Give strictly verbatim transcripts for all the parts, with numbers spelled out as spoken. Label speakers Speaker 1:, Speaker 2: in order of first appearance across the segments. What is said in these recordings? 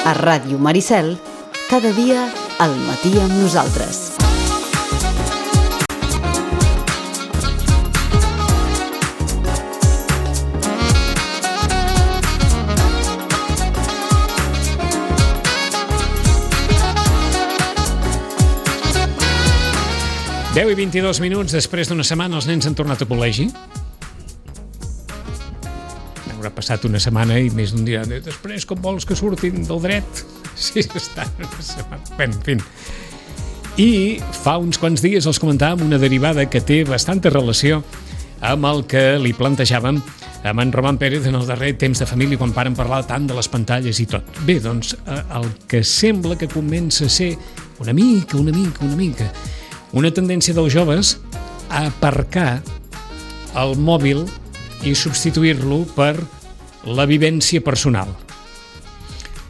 Speaker 1: A Ràdio Maricel, cada dia al matí amb nosaltres.
Speaker 2: deu i vint-i-dos minuts després d'una setmana els nens han tornat a col·legi. Haurà passat una setmana i més d'un dia. Després, com vols que surtin del dret? Sí, està una setmana. Bé, en fi. I fa uns quants dies els comentàvem una derivada que té bastanta relació amb el que li plantejàvem amb en Roman Pérez en el darrer Temps de Família, quan varen parlar tant de les pantalles i tot. Bé, doncs, el que sembla que comença a ser una mica, una mica, una mica... una tendència dels joves a aparcar el mòbil i substituir-lo per la vivència personal,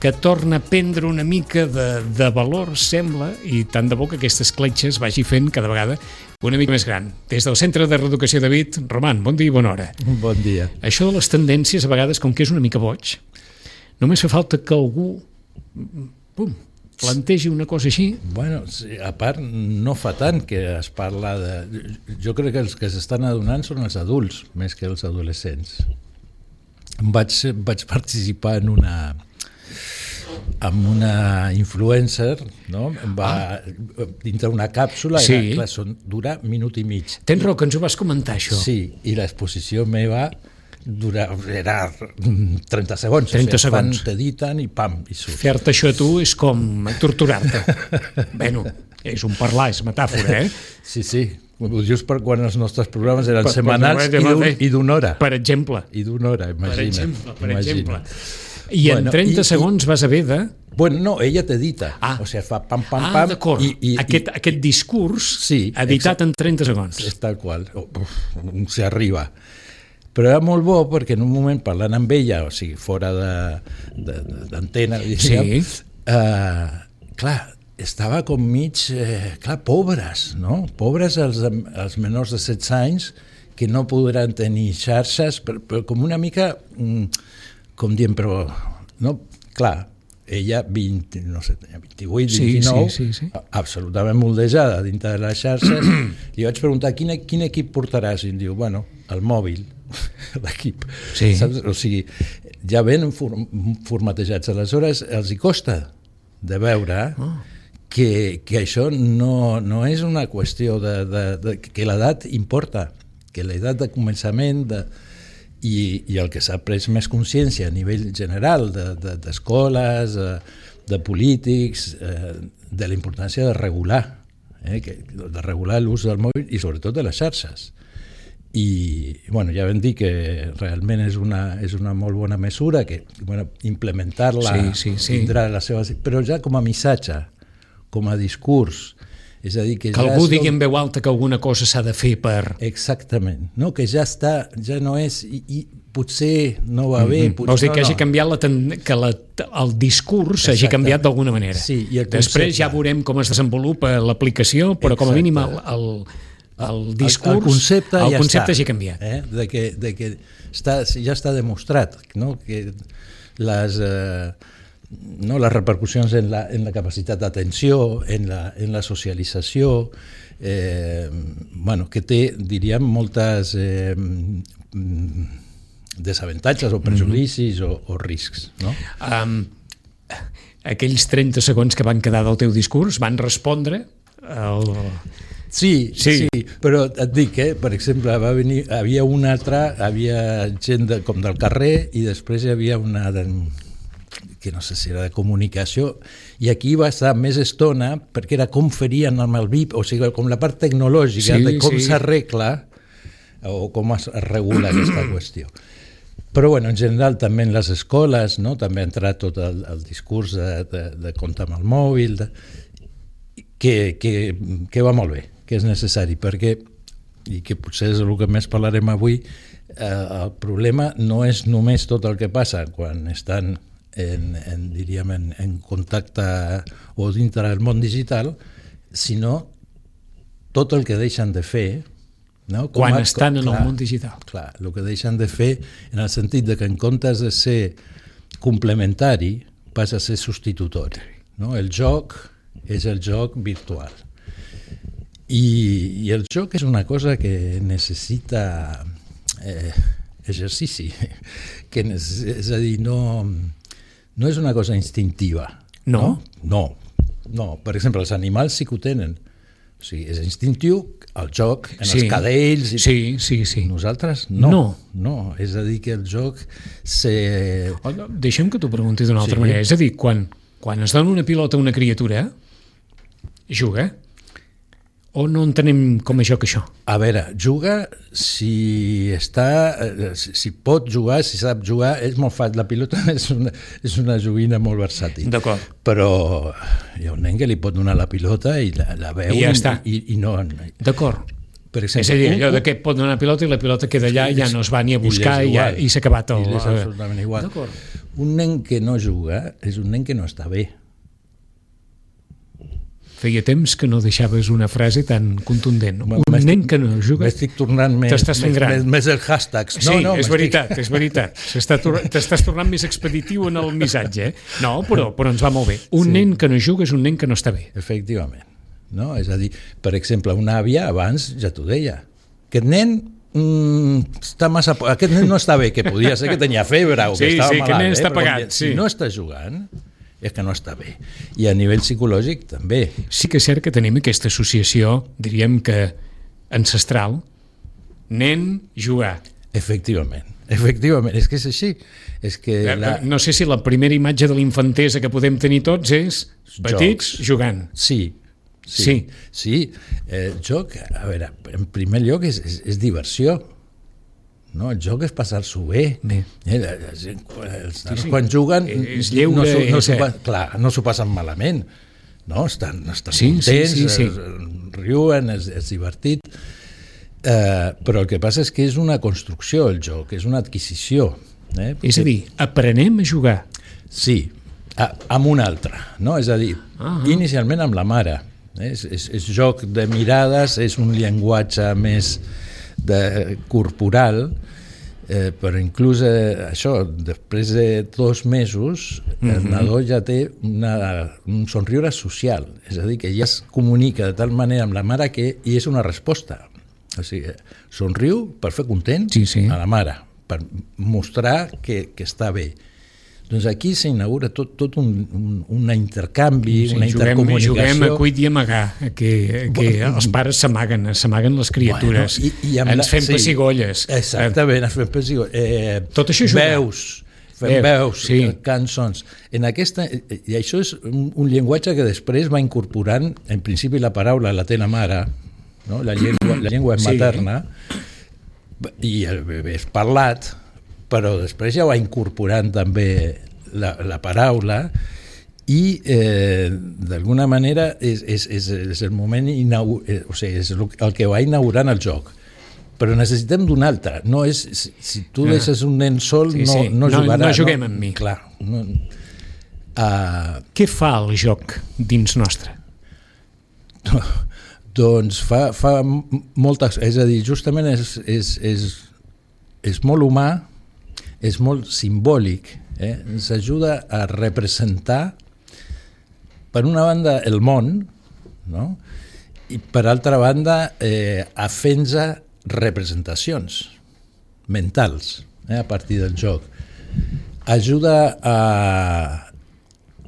Speaker 2: que torna a prendre una mica de, de valor, sembla, i tant de bo que aquestes cletxes vagi fent cada vegada una mica més gran. Des del Centre de Reeducació David, Roman, bon dia i bona hora.
Speaker 3: Bon dia.
Speaker 2: Això de les tendències, a vegades, com que és una mica boig, només fa falta que algú... Pum! plantegi una cosa així.
Speaker 3: Bueno, sí, a part, no fa tant que es parla de... Jo crec que els que s'estan adonant són els adults, més que els adolescents. Vaig, vaig participar en una... amb una influencer, no? Va ah. dintre una càpsula, sí. Era, clar, són, dura minut i mig.
Speaker 2: Tens raó, que ens ho vas comentar, això.
Speaker 3: Sí, i l'exposició meva dura, era trenta segons.
Speaker 2: trenta segons.
Speaker 3: Fan, t'editen i pam, i surt.
Speaker 2: Fer-te això a tu és com torturar-te. Bueno, és un parlar, és metàfora, eh?
Speaker 3: Sí, sí. Just per quan els nostres programes eren per, setmanals per, i d'una hora.
Speaker 2: Per exemple.
Speaker 3: I d'una hora, imagina't.
Speaker 2: Per exemple, per
Speaker 3: imagina't.
Speaker 2: exemple. I bueno, en trenta i, segons vas haver de...
Speaker 3: Bueno, no, ella t'edita. Ah. O sigui, fa pam, pam, pam.
Speaker 2: Ah, d'acord. I, i, aquest, i, aquest discurs sí, editat exacte. En trenta segons.
Speaker 3: És tal qual. Uf, s'hi arriba. Però era molt bo perquè en un moment parlant amb ella, o sigui, fora d'antena, diríem, sí. eh, clar, estava com mig, eh, clar, pobres, no? Pobres els, els menors de setze anys que no podran tenir xarxes, però, però com una mica, com diem, però, no? Clar, ella vint, no sé, vint-i-vuit, vint-i-nou, sí, sí, sí, sí. absolutament moldejada dintre de les xarxes. Li vaig preguntar quin, quin equip portaràs i em diu, bueno, el mòbil, l'equip. Sí. Saps? O sigui, ja venen formatejats. Aleshores, els hi costa de veure oh. que, que això no, no és una qüestió de, de, de que l'edat importa, que l'edat de començament de, i, i el que s'ha pres més consciència a nivell general d'escoles, de, de, de polítics, eh, de la importància de regular, eh, que, de regular l'ús del mòbil i sobretot de les xarxes. I bueno, ja vam dir que realment és una, és una molt bona mesura, que bueno, implementar-la sí, sí, sí. tindrà la seva... Però ja com a missatge, com a discurs, és a dir que,
Speaker 2: que
Speaker 3: ja
Speaker 2: algú digui en veu alta que alguna cosa s'ha de fer per...
Speaker 3: Exactament, no? Que ja està, ja no és... I, i potser no va bé...
Speaker 2: Mm-hmm. Vols dir
Speaker 3: no,
Speaker 2: que hagi
Speaker 3: no.
Speaker 2: canviat la ten... que la... el discurs hagi canviat d'alguna manera.
Speaker 3: Sí, i el
Speaker 2: Després ja veurem com es desenvolupa l'aplicació, però com a mínim el... el el discurs,
Speaker 3: el, el concepte,
Speaker 2: el
Speaker 3: ja
Speaker 2: concepte
Speaker 3: està,
Speaker 2: ja ha canviat.
Speaker 3: Eh? De que, de que està, ja està demostrat, no? Que les, eh, no, les repercussions en la, en la capacitat d'atenció, en la, en la socialització, eh, bueno, que té, diríem, moltes eh, desavantatges o prejudicis mm-hmm. o, o riscs. No?
Speaker 2: Um, aquells trenta segons que van quedar del teu discurs van respondre al...
Speaker 3: Sí, sí, sí, però et dic, eh, per exemple, va venir, havia una altra, havia gent de, com del carrer i després hi havia una de, que no sé si era de comunicació, i aquí va estar més estona perquè era com ferien amb el V I P, o sigui, com la part tecnològica sí, de com sí. s'arregla o com es regula aquesta qüestió. Però bueno, en general també en les escoles, no? També ha entrat tot el, el discurs de, de, de comptar amb el mòbil, de, que, que, que va molt bé, que és necessari, perquè, i que potser és el que més parlarem avui, eh, el problema no és només tot el que passa quan estan en, en, diríem, en, en contacte o dintre del món digital, sinó tot el que deixen de fer, no? Com
Speaker 2: quan
Speaker 3: a,
Speaker 2: estan
Speaker 3: com,
Speaker 2: en
Speaker 3: clar,
Speaker 2: el món digital.
Speaker 3: Clar, el que deixen de fer en el sentit de que en comptes de ser complementari, passa a ser substitutori. No? El joc és el joc virtual. I, i el joc és una cosa que necessita eh, exercici, que és a dir, no, no és una cosa instintiva.
Speaker 2: No?
Speaker 3: No, no. Per exemple, els animals sí que ho tenen. O sigui, és instintiu el joc en
Speaker 2: sí.
Speaker 3: els cadells. I...
Speaker 2: Sí, sí, sí.
Speaker 3: Nosaltres no.
Speaker 2: No.
Speaker 3: No. És a dir, que el joc se...
Speaker 2: Oh, no, deixa'm que t'ho pregunti d'una altra
Speaker 3: sí.
Speaker 2: manera. És a dir, quan, quan es dona una pilota a una criatura, juga, o no entenem com a joc això?
Speaker 3: A veure, juga si està, si, si pot jugar, si sap jugar, és molt fàcil. La pilota és una, és una joguina molt versàtil.
Speaker 2: D'acord.
Speaker 3: Però hi ha un nen que li pot donar la pilota i la, la veu
Speaker 2: I ja està.
Speaker 3: I, i no...
Speaker 2: D'acord.
Speaker 3: Per exemple,
Speaker 2: és a dir,
Speaker 3: un,
Speaker 2: allò de que et pot donar la pilota i la pilota queda allà i ja no es va ni a buscar i, ja, i s'ha acabat el...
Speaker 3: I és absolutament igual.
Speaker 2: D'acord.
Speaker 3: Un nen que no juga és un nen que no està bé.
Speaker 2: Feia temps que no deixaves una frase tan contundent. Un nen que no juga...
Speaker 3: M'estic tornant més,
Speaker 2: T'estàs fent gran.
Speaker 3: més, més els hashtags.
Speaker 2: Sí,
Speaker 3: no, no,
Speaker 2: és veritat, és veritat. T'estàs tornant més expeditiu en el missatge. Eh? No, però, però ens va molt bé. Un sí. nen que no juga és un nen que no està bé.
Speaker 3: Efectivament. No? És a dir, per exemple, una àvia abans ja t'ho deia. Aquest nen mm, està massa... Aquest nen no està bé, que podia ser que tenia febre o que
Speaker 2: sí,
Speaker 3: estava
Speaker 2: sí,
Speaker 3: malalt.
Speaker 2: Que nen
Speaker 3: eh?
Speaker 2: està
Speaker 3: Però
Speaker 2: pagat,
Speaker 3: si
Speaker 2: sí.
Speaker 3: no està jugant, és que no està bé. I a nivell psicològic també.
Speaker 2: Sí que és cert que tenim aquesta associació, diríem que ancestral, nen, jugar.
Speaker 3: Efectivament, efectivament, és que és així. És que la...
Speaker 2: No sé si la primera imatge de l'infantesa que podem tenir tots és petits
Speaker 3: Jocs.
Speaker 2: Jugant.
Speaker 3: Sí, sí,
Speaker 2: sí.
Speaker 3: sí. El joc, a veure, en primer lloc és, és, és diversió. No, el joc és passar-s'ho bé.
Speaker 2: bé.
Speaker 3: Eh, la, la gent, els
Speaker 2: sí, sí.
Speaker 3: quan juguen
Speaker 2: és lleure,
Speaker 3: no, no, no
Speaker 2: és,
Speaker 3: s'ho, clar, no s'ho passen malament, no? Estan, estan
Speaker 2: sí,
Speaker 3: contents,
Speaker 2: sí, sí, sí.
Speaker 3: Es, riuen, és, és divertit, eh, però el que passa és que és una construcció el joc, és una adquisició. Eh?
Speaker 2: És a dir, aprenem a jugar.
Speaker 3: Sí, a, amb un altre, no? És a dir,
Speaker 2: uh-huh.
Speaker 3: inicialment amb la mare. Eh? És, és, és joc de mirades, és un llenguatge més de, corporal, eh, però inclús eh, això, després de dos mesos el mm-hmm. nadó ja té una, un somriure social, és a dir, que ja es comunica de tal manera amb la mare que i és una resposta, o sigui, somriu per fer content
Speaker 2: sí, sí.
Speaker 3: a la mare, per mostrar que, que està bé. Doncs aquí s'inaugura tot, tot un, un, un intercanvi, sí, una
Speaker 2: juguem,
Speaker 3: intercomunicació.
Speaker 2: Juguem a cuit i amagar, que, que els pares s'amaguen, s'amaguen les criatures, bueno, i, i ens fem sí, pessigolles.
Speaker 3: Exactament, ens fem pessigolles. Eh,
Speaker 2: tot això jugar.
Speaker 3: Veus, fem Veu, veus,
Speaker 2: sí.
Speaker 3: cançons. En aquesta, i això és un, un llenguatge que després va incorporant, en principi la paraula la té la mare, no? la llengua, la llengua és materna, sí. i el bebè és parlat, però després ja va incorporant també la, la paraula i eh, d'alguna manera és, és, és, és el moment inaugur, eh, o sigui, és el que va inaugurant el joc, però necessitem d'un altre, no és, si tu ah. deixes un nen sol sí, no,
Speaker 2: sí.
Speaker 3: no jugarà.
Speaker 2: No, no juguem
Speaker 3: no,
Speaker 2: amb mi.
Speaker 3: Clar. No, uh,
Speaker 2: Què fa el joc dins nostre?
Speaker 3: No, doncs fa, fa moltes, és a dir, justament és, és, és, és molt humà, és molt simbòlic, eh? ens ajuda a representar per una banda el món, no? I per altra banda eh, a fer-nos representacions mentals eh? a partir del joc. Ajuda a,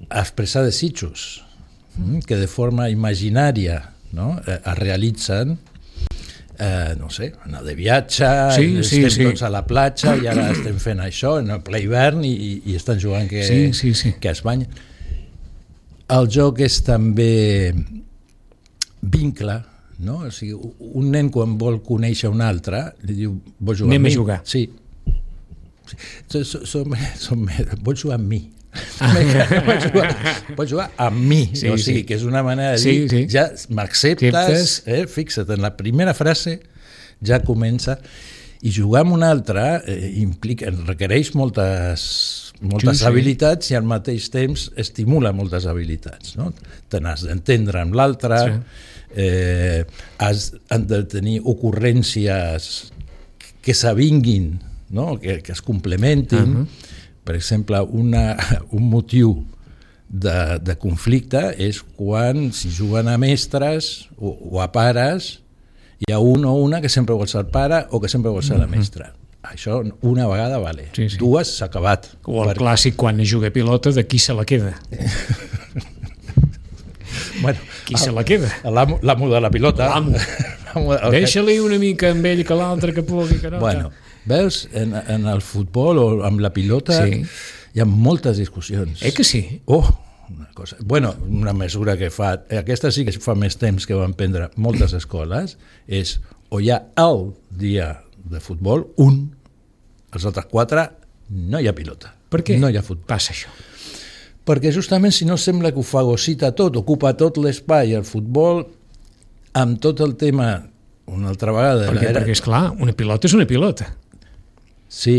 Speaker 3: a expressar desitjos mm? que de forma imaginària no? es realitzen. Eh, no sé, anar de viatge,
Speaker 2: sí,
Speaker 3: estem
Speaker 2: sí,
Speaker 3: tots
Speaker 2: sí.
Speaker 3: a la platja i ara estem fent això en el ple hivern i, i, i estan jugant que,
Speaker 2: sí, sí, sí.
Speaker 3: que es banyen. El joc és també vincle, no? O sigui, un nen quan vol conèixer un altre li diu, vols jugar
Speaker 2: Anem
Speaker 3: amb mi?
Speaker 2: a jugar.
Speaker 3: Sí. Som, som, som, vols jugar amb mi?
Speaker 2: Ah.
Speaker 3: Pots jugar, pots jugar amb mi,
Speaker 2: sí,
Speaker 3: o sigui,
Speaker 2: sí.
Speaker 3: que és una manera de dir,
Speaker 2: sí, sí.
Speaker 3: ja m'acceptes, eh? Fixa't, en la primera frase ja comença, i jugar amb un altre eh, implica, requereix moltes, moltes sí, habilitats sí. i al mateix temps estimula moltes habilitats, no? Te n'has d'entendre amb l'altre, sí. eh, has de tenir ocurrències que s'avinguin, no? que, que es complementin. Uh-huh. Per exemple, una, un motiu de, de conflicte és quan si juguen a mestres o, o a pares, hi ha un o una que sempre vol ser el pare o que sempre vol ser la mestra. Això una vegada vale, sí, sí. Dues s'ha acabat.
Speaker 2: O el per... clàssic quan es juga a pilota de qui se la queda.
Speaker 3: Bueno,
Speaker 2: qui se la queda?
Speaker 3: L'amo, l'amo de la pilota.
Speaker 2: L'amo. Okay. Deixa-li una mica amb ell que l'altre que pugui. Que no,
Speaker 3: bueno, veus, en, en el futbol o amb la pilota sí. Hi ha moltes discussions.
Speaker 2: Eh que sí?
Speaker 3: Oh, una cosa. Bueno, una mesura que fa, aquesta sí que fa més temps que van prendre moltes escoles, és o hi ha el dia de futbol, un, els altres quatre, no hi ha pilota.
Speaker 2: Per què
Speaker 3: no hi ha futbol.
Speaker 2: Passa això?
Speaker 3: Perquè justament si no sembla que ho fagocita tot, ocupa tot l'espai, el futbol, amb tot el tema, una altra vegada...
Speaker 2: Perquè, era... perquè esclar, una pilota és una pilota.
Speaker 3: Sí.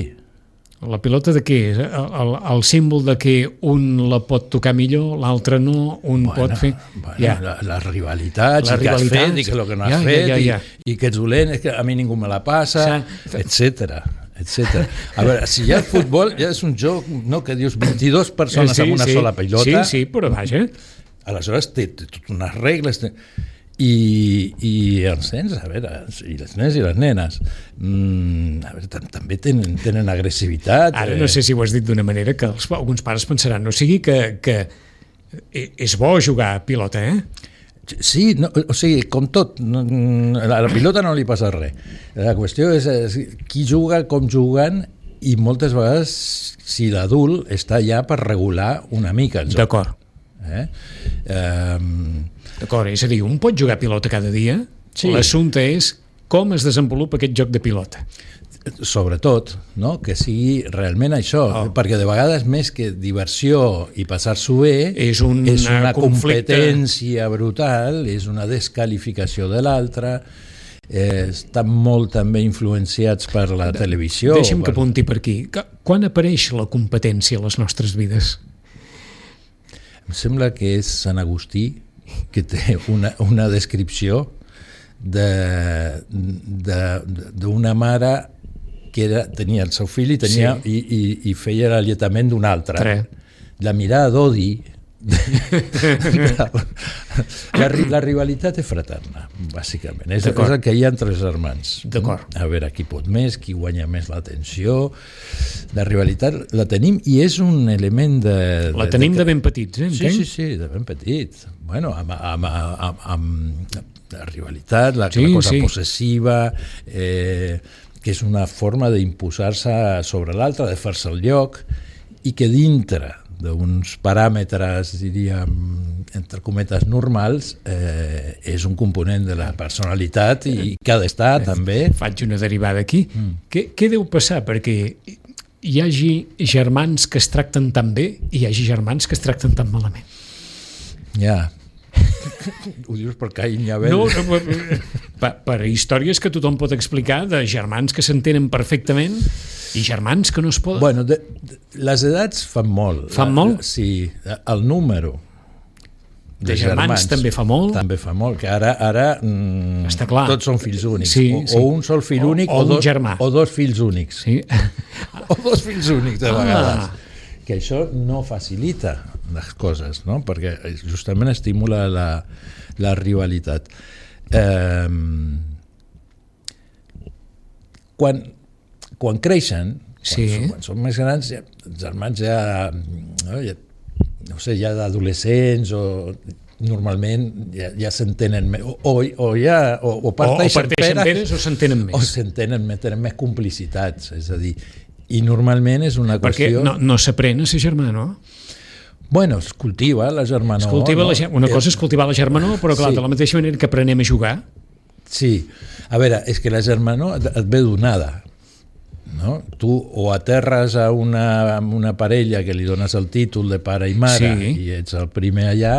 Speaker 2: La pilota de què és? El, el, el símbol de que un la pot tocar millor, l'altre no, un
Speaker 3: bueno,
Speaker 2: pot fer...
Speaker 3: Bueno, ja. la, la rivalitat,
Speaker 2: la
Speaker 3: i que has fet, i que el que no has
Speaker 2: ja,
Speaker 3: fet,
Speaker 2: ja, ja, ja.
Speaker 3: I, i que ets dolent, és que a mi ningú me la passa, etcètera. etcètera. A veure, si hi ha futbol, ja és un joc no, que dius vint-i-dues persones
Speaker 2: sí,
Speaker 3: amb una
Speaker 2: sí.
Speaker 3: sola pilota.
Speaker 2: Sí, sí, però vaja.
Speaker 3: Aleshores té, té totes unes regles... Té... I, i els nens, a veure, i les nens i les nenes, mm, a veure, també tenen, tenen agressivitat.
Speaker 2: Ara no sé si ho has dit d'una manera que els, alguns pares pensaran, no sigui que, que és bo jugar a pilota, eh?
Speaker 3: Sí, no, o sigui, com tot, no, a la pilota no li passa res. La qüestió és, és qui juga, com juguen, i moltes vegades si l'adult està allà per regular una mica el joc.
Speaker 2: D'acord.
Speaker 3: Eh? Um,
Speaker 2: D'acord, és a dir, un pot jugar a pilota cada dia, sí. L'assumpte és com es desenvolupa aquest joc de pilota.
Speaker 3: Sobretot, no? Que sigui realment això, oh. perquè de vegades més que diversió i passar-s'ho bé,
Speaker 2: és, un
Speaker 3: és una
Speaker 2: conflicte.
Speaker 3: Competència brutal, és una descalificació de l'altre, eh, estan molt també influenciats per la de, televisió.
Speaker 2: Deixa'm
Speaker 3: per...
Speaker 2: que apunti per aquí. Quan apareix la competència a les nostres vides?
Speaker 3: Em sembla que és Sant Agustí, que té una, una descripció de, de, d'una mare que era, tenia el seu fill i, tenia, sí. i, i, i feia l'alletament d'un altre. Tre. La mirada d'odi la, la, la rivalitat és fraterna, bàsicament. És, és el que hi ha entre els germans.
Speaker 2: D'acord.
Speaker 3: A veure qui pot més, qui guanya més l'atenció. La rivalitat la tenim i és un element de...
Speaker 2: La tenim de, de, de ben petits, eh?
Speaker 3: Sí, sí, sí, de ben petit. Bueno, amb, amb, amb, amb la rivalitat, la,
Speaker 2: sí,
Speaker 3: la cosa
Speaker 2: sí.
Speaker 3: possessiva, eh, que és una forma d'imposar-se sobre l'altre, de fer-se el lloc, i que dintre d'uns paràmetres, diríem, entre cometes normals, eh, és un component de la personalitat i que ha d'estar eh, també.
Speaker 2: Faig una derivada aquí. Mm. Què, què deu passar perquè hi hagi germans que es tracten tan bé i hi hagi germans que es tracten tan malament?
Speaker 3: Ja. Ho dius per Caín i Abel?
Speaker 2: No, no per, per històries que tothom pot explicar de germans que s'entenen perfectament i germans que no es poden...
Speaker 3: Bueno, de, de, les edats fan molt.
Speaker 2: Fan molt?
Speaker 3: Sí, el número
Speaker 2: de, de germans, germans també fa molt.
Speaker 3: També fa molt, que ara, ara mm,
Speaker 2: està clar.
Speaker 3: Tots són fills únics.
Speaker 2: Sí,
Speaker 3: o,
Speaker 2: sí.
Speaker 3: o un sol fill únic
Speaker 2: o, o,
Speaker 3: o, dos,
Speaker 2: germà.
Speaker 3: o dos fills únics.
Speaker 2: Sí.
Speaker 3: O dos fills únics, de vegades.
Speaker 2: Ah.
Speaker 3: Que això no facilita les coses, no? Perquè justament estimula la, la rivalitat. Eh, quan, quan creixen,
Speaker 2: sí.
Speaker 3: quan, són, quan són més grans, ja, els germans ja, no, ja, no sé, ja d'adolescents o normalment ja, ja s'entenen més, o, o, o ja o, o parteixen,
Speaker 2: o parteixen peres, peres o s'entenen més.
Speaker 3: O s'entenen més, tenen més complicitats, és a dir, i normalment és una
Speaker 2: Perquè
Speaker 3: qüestió...
Speaker 2: no, no s'aprèn a ser germà, no?
Speaker 3: Bueno, es cultiva la germanor.
Speaker 2: Es cultiva
Speaker 3: no?
Speaker 2: la, una cosa és cultivar la germanor, però clar, sí. De la mateixa manera que aprenem a jugar.
Speaker 3: Sí, a veure, és que la germanor et, et ve donada, no? Tu o aterres a una, una parella que li dones el títol de pare i mare sí. I ets el primer allà,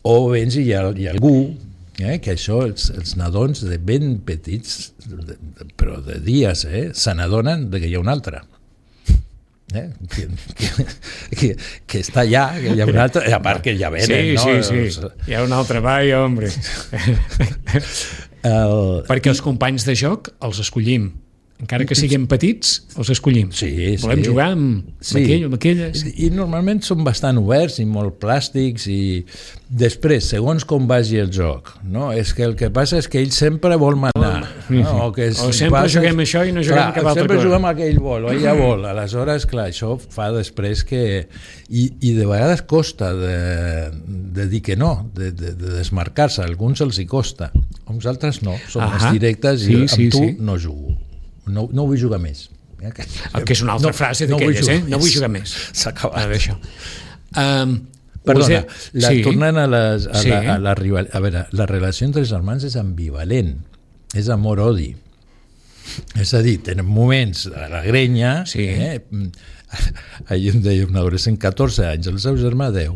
Speaker 3: o vens i hi ha, hi ha algú eh, que això, els, els nadons de ben petits, de, de, però de dies, eh, se n'adonen que hi ha un altre. Eh? Que, que, que, que està allà, que hi ha un altre, a part que ja venen,
Speaker 2: sí,
Speaker 3: no?
Speaker 2: Sí, sí, hi ha un altre, vaya, hombre. El... Perquè els companys de joc els escollim. Encara que siguem petits, els escollim.
Speaker 3: Sí,
Speaker 2: Volem
Speaker 3: sí.
Speaker 2: jugar amb,
Speaker 3: Sí.
Speaker 2: amb aquell, amb aquella.
Speaker 3: I, I normalment són bastant oberts i molt plàstics i després, segons com vagi el joc, no? És que el que passa és que ell sempre vol manar. No? O, que
Speaker 2: O sempre
Speaker 3: passes...
Speaker 2: juguem això i no juguem
Speaker 3: clar,
Speaker 2: cap altra
Speaker 3: sempre
Speaker 2: cosa.
Speaker 3: juguem aquell vol, o ella vol. Aleshores, clar, això fa després que... I, i de vegades costa de, de dir que no, de, de, de desmarcar-se. A alguns els hi costa. A uns altres no. Són
Speaker 2: Ahà.
Speaker 3: més directes i
Speaker 2: Sí,
Speaker 3: amb
Speaker 2: sí,
Speaker 3: tu
Speaker 2: sí.
Speaker 3: no jugo. No, no vull jugar més.
Speaker 2: El que és una altra
Speaker 3: no,
Speaker 2: frase
Speaker 3: no
Speaker 2: d'aquelles,
Speaker 3: vull
Speaker 2: eh?
Speaker 3: jugar
Speaker 2: No vull
Speaker 3: més.
Speaker 2: jugar més.
Speaker 3: S'ha acabat.
Speaker 2: Ah, d'això. Um,
Speaker 3: Perdona, la,
Speaker 2: sí.
Speaker 3: tornant a, les, a,
Speaker 2: Sí.
Speaker 3: la, a la rival... A veure, la relació entre els germans és ambivalent, és amor-odi. És a dir, tenen moments a la grenya...
Speaker 2: Sí.
Speaker 3: Eh? Ahir em deia un adolescent, catorze anys, el seu germà deu.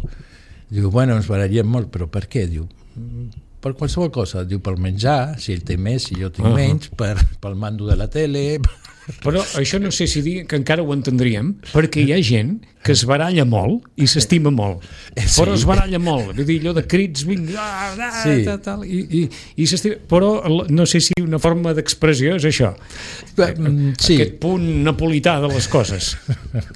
Speaker 3: Diu, bueno, ens barallem molt, però per què? Diu, per qualsevol cosa. Diu, pel menjar, si ell té més, si jo tinc
Speaker 2: Uh-huh.
Speaker 3: menys, per, pel mando de la tele...
Speaker 2: Però això no sé si dir que encara ho entendríem, perquè hi ha gent que es baralla molt i s'estima molt,
Speaker 3: Sí.
Speaker 2: però es baralla molt, vull dir, allò de crits, vinga, ah, ah,
Speaker 3: Sí.
Speaker 2: tal, tal, i, i, i s'estima, però no sé si una forma d'expressió és això,
Speaker 3: Sí.
Speaker 2: aquest punt napolità de les coses.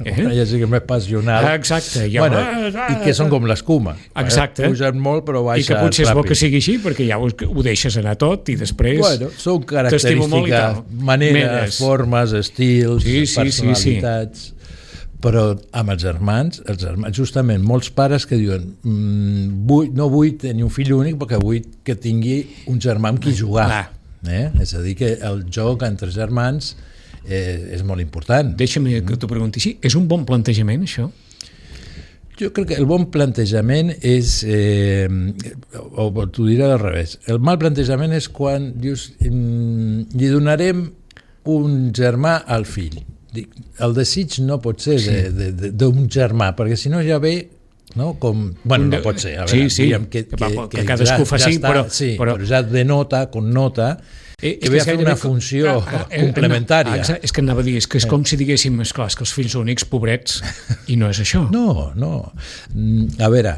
Speaker 2: Eh?
Speaker 3: Ja sí que és més passional.
Speaker 2: Ah, exacte. Ja,
Speaker 3: Bueno,
Speaker 2: ah,
Speaker 3: i que són com l'escuma.
Speaker 2: Exacte.
Speaker 3: Eh? Pugen molt però
Speaker 2: I que
Speaker 3: baixen
Speaker 2: potser és bo
Speaker 3: ràpid.
Speaker 2: que sigui així, perquè ja ho, ho deixes anar tot i després...
Speaker 3: Bueno, són
Speaker 2: t'estimo molt i
Speaker 3: característiques,
Speaker 2: tal.
Speaker 3: maneres,
Speaker 2: Menes.
Speaker 3: formes, estils,
Speaker 2: Sí, sí, sí,
Speaker 3: personalitats... Però amb els germans, els germans, justament, molts pares que diuen mmm, vull, no vull tenir un fill únic perquè vull que tingui un germà amb qui jugar. Eh? És a dir, que el joc entre germans eh, és molt important.
Speaker 2: Deixa'm que t'ho pregunti així. És un bon plantejament, això?
Speaker 3: Jo crec que el bon plantejament és, eh, o, o t'ho diré al revés, el mal plantejament és quan dius mm, li donarem un germà al fill. Dic, el desig no pot ser
Speaker 2: Sí.
Speaker 3: d'un germà, perquè si no ja ve, no, com... Bueno, no pot ser, a veure,
Speaker 2: Sí, sí,
Speaker 3: diguem que,
Speaker 2: que, que, que cadascú
Speaker 3: ja,
Speaker 2: faci,
Speaker 3: ja està,
Speaker 2: però,
Speaker 3: sí,
Speaker 2: però,
Speaker 3: però ja denota, connota,
Speaker 2: Eh,
Speaker 3: que ve a fer una funció complementària.
Speaker 2: Ah, és que anava a dir, és que és com si diguéssim, esclar, és que els fills únics, pobrets, i no és això.
Speaker 3: No, no. Mm, A veure,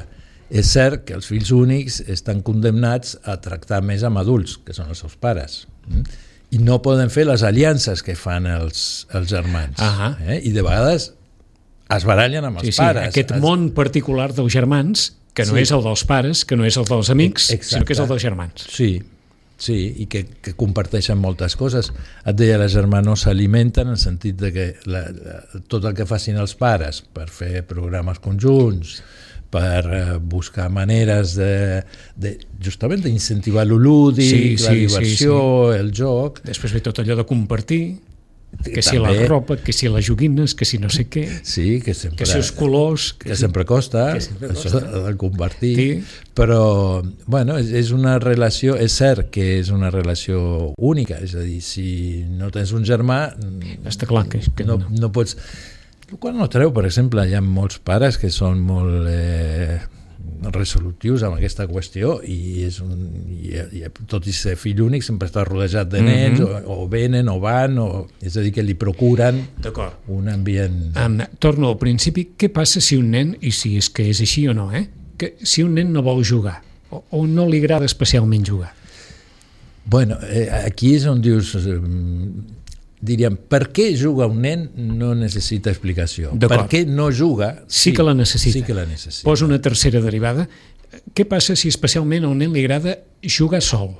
Speaker 3: és cert que els fills únics estan condemnats a tractar més amb adults, que són els seus pares, mm? i no poden fer les aliances que fan els, els germans.
Speaker 2: Ahà.
Speaker 3: Eh? I de vegades es barallen amb els
Speaker 2: Sí, sí,
Speaker 3: pares.
Speaker 2: aquest
Speaker 3: Es-
Speaker 2: món particular dels germans, que no
Speaker 3: Sí.
Speaker 2: és el dels pares, que no és el dels amics,
Speaker 3: Exacte.
Speaker 2: sinó que és el dels germans.
Speaker 3: Sí, sí, i que, que comparteixen moltes coses. Et deia, les germanes s'alimenten en el sentit de que la, la, tot el que facin els pares per fer programes conjunts, per uh, buscar maneres de, de justament d'incentivar lo lúdic,
Speaker 2: Sí,
Speaker 3: la
Speaker 2: sí,
Speaker 3: diversió,
Speaker 2: sí,
Speaker 3: el joc.
Speaker 2: Després ve tot allò de compartir, que si
Speaker 3: També.
Speaker 2: la ropa, que si les joguines, que si no sé què,
Speaker 3: Sí, que sempre,
Speaker 2: que si els colors...
Speaker 3: que sempre costa,
Speaker 2: que sempre
Speaker 3: això
Speaker 2: costa.
Speaker 3: de compartir,
Speaker 2: Sí.
Speaker 3: però bueno, és, és una relació, és cert que és una relació única, és a dir, si no tens un germà
Speaker 2: Està clar que, que
Speaker 3: no,
Speaker 2: no.
Speaker 3: no pots... El qual no treu, per exemple, hi ha molts pares que són molt eh, resolutius amb aquesta qüestió i, és un, i, i tot i ser fill únic sempre està rodejat de nens,
Speaker 2: Mhm.
Speaker 3: o, o venen o van, o, és a dir, que li procuren
Speaker 2: D'acord.
Speaker 3: un ambient...
Speaker 2: Um, torno al principi. Què passa si un nen, i si és que és així o no, eh? que si un nen no vol jugar o, o no li agrada especialment jugar?
Speaker 3: Bueno, eh, aquí és on dius... Eh, diríem, per què juga un nen no necessita explicació. Per
Speaker 2: D'acord.
Speaker 3: què no juga?
Speaker 2: Sí que la necessita.
Speaker 3: Sí que la necessita.
Speaker 2: Posa una tercera derivada. Què passa si especialment a un nen li agrada jugar sol?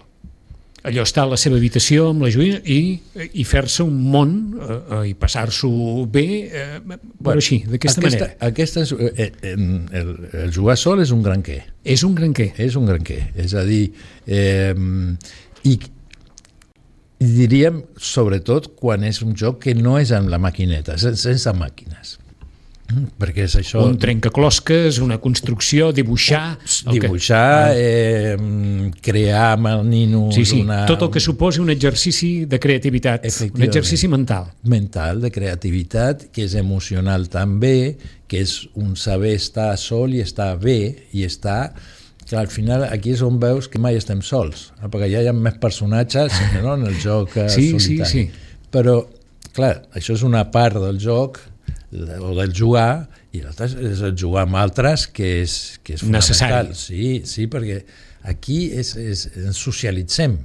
Speaker 2: Allò està a la seva habitació amb la joguina i, i fer-se un món eh, i passar-s'ho bé, eh, però
Speaker 3: Bueno,
Speaker 2: així, d'aquesta
Speaker 3: aquesta,
Speaker 2: manera.
Speaker 3: Aquesta és, eh, eh, el, el jugar sol és un gran què.
Speaker 2: És un gran què.
Speaker 3: És un gran què. És a dir, eh, i, i diríem, sobretot, quan és un joc que no és amb la maquineta, sen- sense màquines. Mm, perquè és això...
Speaker 2: Un trencaclosques, una construcció, dibuixar... el que-
Speaker 3: Dibuixar, eh, crear amb el nino
Speaker 2: Sí, sí,
Speaker 3: una,
Speaker 2: tot el que suposi un exercici de creativitat, un
Speaker 3: Efectivament.
Speaker 2: exercici mental.
Speaker 3: mental, de creativitat, que és emocional també, que és un saber estar sol i estar bé, i estar... Que al final aquí és on veus que mai estem sols, eh, perquè ja hi ha més personatges, no?, en el joc eh,
Speaker 2: Sí, sí,
Speaker 3: solitari.
Speaker 2: sí.
Speaker 3: Però, clar, això és una part del joc, o del jugar, i l'altre és el jugar amb altres, que és, que és
Speaker 2: Necessari.
Speaker 3: fonamental. Sí, sí, perquè aquí és, és, ens socialitzem.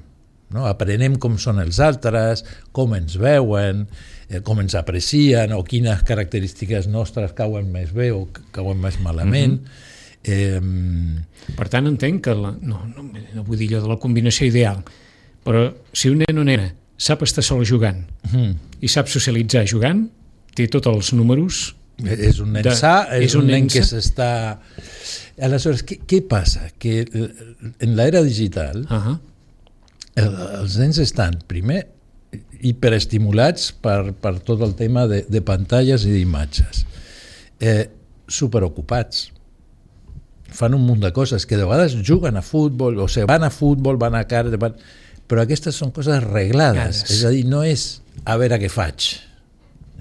Speaker 3: no? Aprenem com són els altres, com ens veuen, eh, com ens aprecien, o quines característiques nostres cauen més bé o cauen més malament. Mm-hmm.
Speaker 2: eh... Per tant, entenc que la... no, no, no vull dir allò de la combinació ideal, però si un nen o nena sap estar sol jugant mm. i sap socialitzar jugant, té tots els números.
Speaker 3: És un nen de... sa, és, és un, un nen, nen que s'està... Aleshores, què, què passa? Que en l'era digital uh-huh. el, els nens estan, primer, hiperestimulats per, per tot el tema de, de pantalles i d'imatges. Eh, superocupats. Fan un munt de coses que de vegades juguen a futbol, o sigui, van a futbol, van a cartes, van... però aquestes són coses reglades. Cares. És a dir, no és a veure què faig.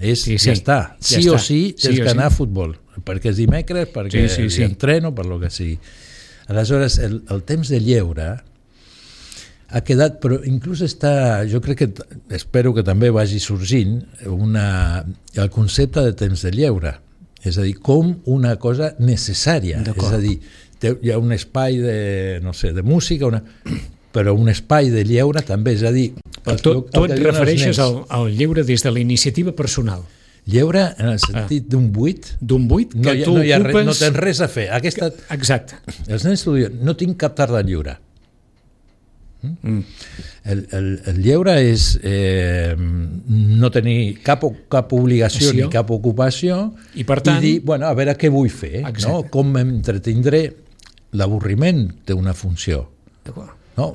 Speaker 3: És, sí, sí. Ja està. Sí ja o està. sí tens sí que anar sí. a futbol. Perquè és dimecres, perquè sí, sí, sí. entreno, per lo que sigui. Aleshores, el, el temps de lleure ha quedat, però inclús està, jo crec que, espero que també vagi sorgint una, el concepte de temps de lleure. És a dir, com una cosa necessària. És a dir, hi ha un espai de, no sé, de música, una... però un espai de lleure també, és a dir...
Speaker 2: Però tu, tu et refereixes al, al lleure des de la iniciativa personal.
Speaker 3: Lleure en el sentit ah. d'un buit.
Speaker 2: D'un buit que
Speaker 3: no hi ha,
Speaker 2: tu
Speaker 3: no hi ha
Speaker 2: ocupes...
Speaker 3: Res, no tens res a fer. Aquesta...
Speaker 2: Exacte.
Speaker 3: Els nens t'ho diuen, no tinc cap tarda lliure. Mm. El, el, el lleure és eh, no tenir cap, cap obligació Ació. ni cap ocupació
Speaker 2: i, per tant,
Speaker 3: i dir, bueno, a veure què vull fer, no? Com m'entretindré. L'avorriment té una funció. No?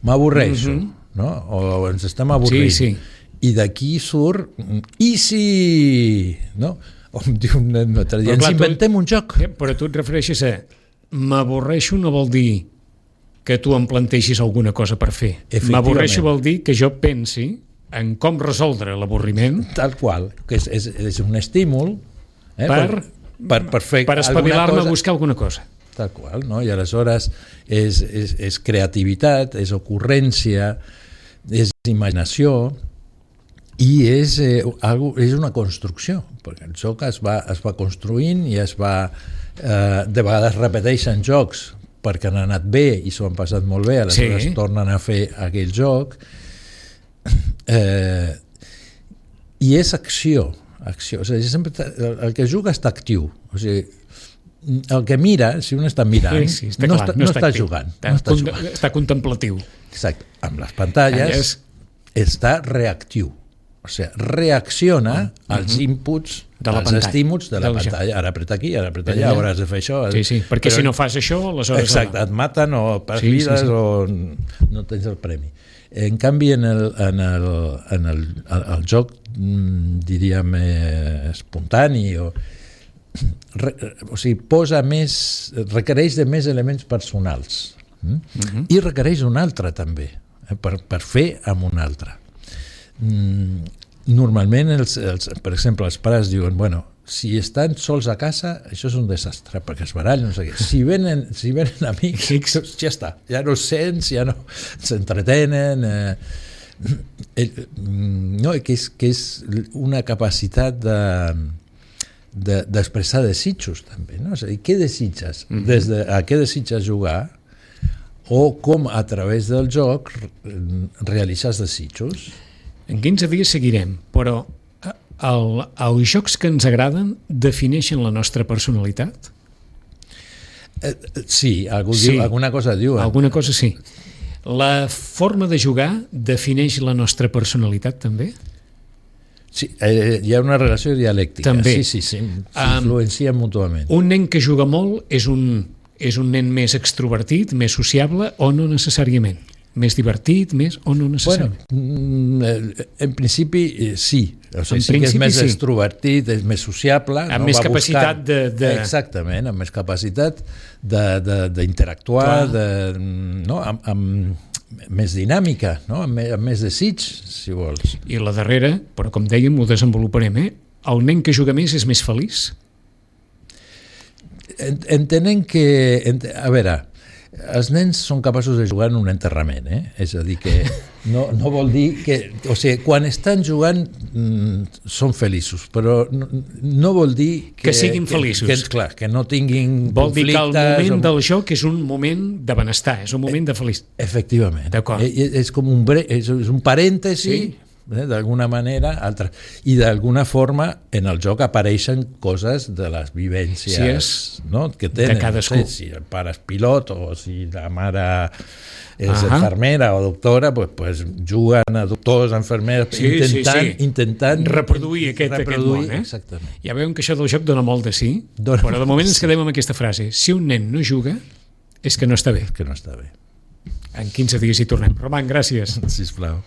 Speaker 3: M'avorreixo, mm-hmm. no? O ens estem avorrint. Sí, sí. I d'aquí surt i si... No? O em diu un nen l'altre dia, ens inventem un joc.
Speaker 2: Però tu et refereixes a m'avorreixo no vol dir que tu em plantegis alguna cosa per fer. M'avorreixo vol dir que jo pensi en com resoldre l'avorriment.
Speaker 3: Tal qual, que és, és, és un estímul eh,
Speaker 2: per,
Speaker 3: per, per, per fer
Speaker 2: per espavilar-me a buscar alguna cosa.
Speaker 3: Tal qual, no? I aleshores és, és, és creativitat, és ocurrència, és imaginació i és, eh, algo, és una construcció, perquè el joc es va, es va construint i es va, eh, de vegades repeteixen jocs perquè han anat bé i s'ho han passat molt bé, aleshores sí. tornen a fer aquell joc, eh, i és acció, acció. O sigui, sempre el, el que juga està actiu, o sigui, el que mira, si un està mirant, sí, sí, està no, clar, està, no, està, no està jugant.
Speaker 2: Està,
Speaker 3: no està,
Speaker 2: jugant. Està contemplatiu.
Speaker 3: Exacte. Amb les pantalles és... està reactiu. O sigui, reacciona uh-huh. als inputs, de la als pantalla. estímuls de la de pantalla. Ara apreta aquí, ara apreta allà, ara has de fer això.
Speaker 2: Sí, sí, perquè però... si no fas això, aleshores...
Speaker 3: Exacte, et maten o perds sí, vides sí, sí. o no tens el premi. En canvi, en el, en el, en el, el, el joc, diríem, eh, espontani o... Re, o sigui, posa més, requereix de més elements personals mm? uh-huh. i requereix un altre també eh, per, per fer amb un altre. Mm, normalment els, els, per exemple els pares diuen, bueno, si estan sols a casa això és un desastre perquè es barallen, no sé què. Si venen, si venen amics ja està, ja no sents, ja no s'entretenen eh, eh, no, que és, que és una capacitat de De, d'expressar desitjos també, no? És a dir, què desitges? Mm-hmm. Des de a què desitges jugar o com a través del joc realitzar desitjos?
Speaker 2: En quinze dies seguirem, però el, els jocs que ens agraden defineixen la nostra personalitat?
Speaker 3: Eh, sí, algú sí, diu, alguna cosa diuen.
Speaker 2: Alguna cosa sí. La forma de jugar defineix la nostra personalitat també?
Speaker 3: Sí, eh, hi ha una relació dialèctica.
Speaker 2: També.
Speaker 3: Sí, sí, sí, s'influencien um, mútuament.
Speaker 2: Un nen que juga molt és un, és un nen més extrovertit, més sociable o no necessàriament? Més divertit, més o no necessàriament?
Speaker 3: Bueno, en principi sí. O sigui, sí que és més sí. extrovertit, és més sociable.
Speaker 2: Amb
Speaker 3: no?
Speaker 2: més
Speaker 3: Va
Speaker 2: capacitat
Speaker 3: buscant...
Speaker 2: de, de...
Speaker 3: Exactament, amb més capacitat d'interactuar, de, de, de, no? amb... amb més dinàmica, no? amb, més, amb més desig, si vols.
Speaker 2: I la darrera, però com dèiem, ho desenvoluparem, eh? El nen que juga més és més feliç?
Speaker 3: Entenent que... A veure, els nens són capaços de jugar en un enterrament, eh? És a dir que... no, no vol dir que... O sigui, quan estan jugant mm, són feliços, però no, no vol dir que...
Speaker 2: Que siguin feliços.
Speaker 3: Que, que, clar, que no tinguin
Speaker 2: vol dir que el moment
Speaker 3: o...
Speaker 2: del joc és un moment de benestar, és un moment de felicitat.
Speaker 3: Efectivament.
Speaker 2: D'acord.
Speaker 3: És, és com un, bre... és un parèntesi... Sí. Eh, d'alguna manera altra. I d'alguna forma en el joc apareixen coses de les vivències
Speaker 2: sí, és
Speaker 3: no? que tenen,
Speaker 2: de cadascú.
Speaker 3: No sé, si el pare és pilot o si la mare és uh-huh. infermera o doctora, pues, pues juguen a doctors, enfermeres,
Speaker 2: sí,
Speaker 3: intentant,
Speaker 2: sí, sí.
Speaker 3: intentant
Speaker 2: reproduir aquest,
Speaker 3: reproduir,
Speaker 2: aquest món. Eh?
Speaker 3: Exactament.
Speaker 2: Ja veuen que això del joc dona molt de sí, dona però de moment ens quedem amb aquesta frase: si un nen no juga és que no està bé.
Speaker 3: Que no està bé.
Speaker 2: En quinze dies hi tornem. Roman, gràcies.
Speaker 3: Sisplau.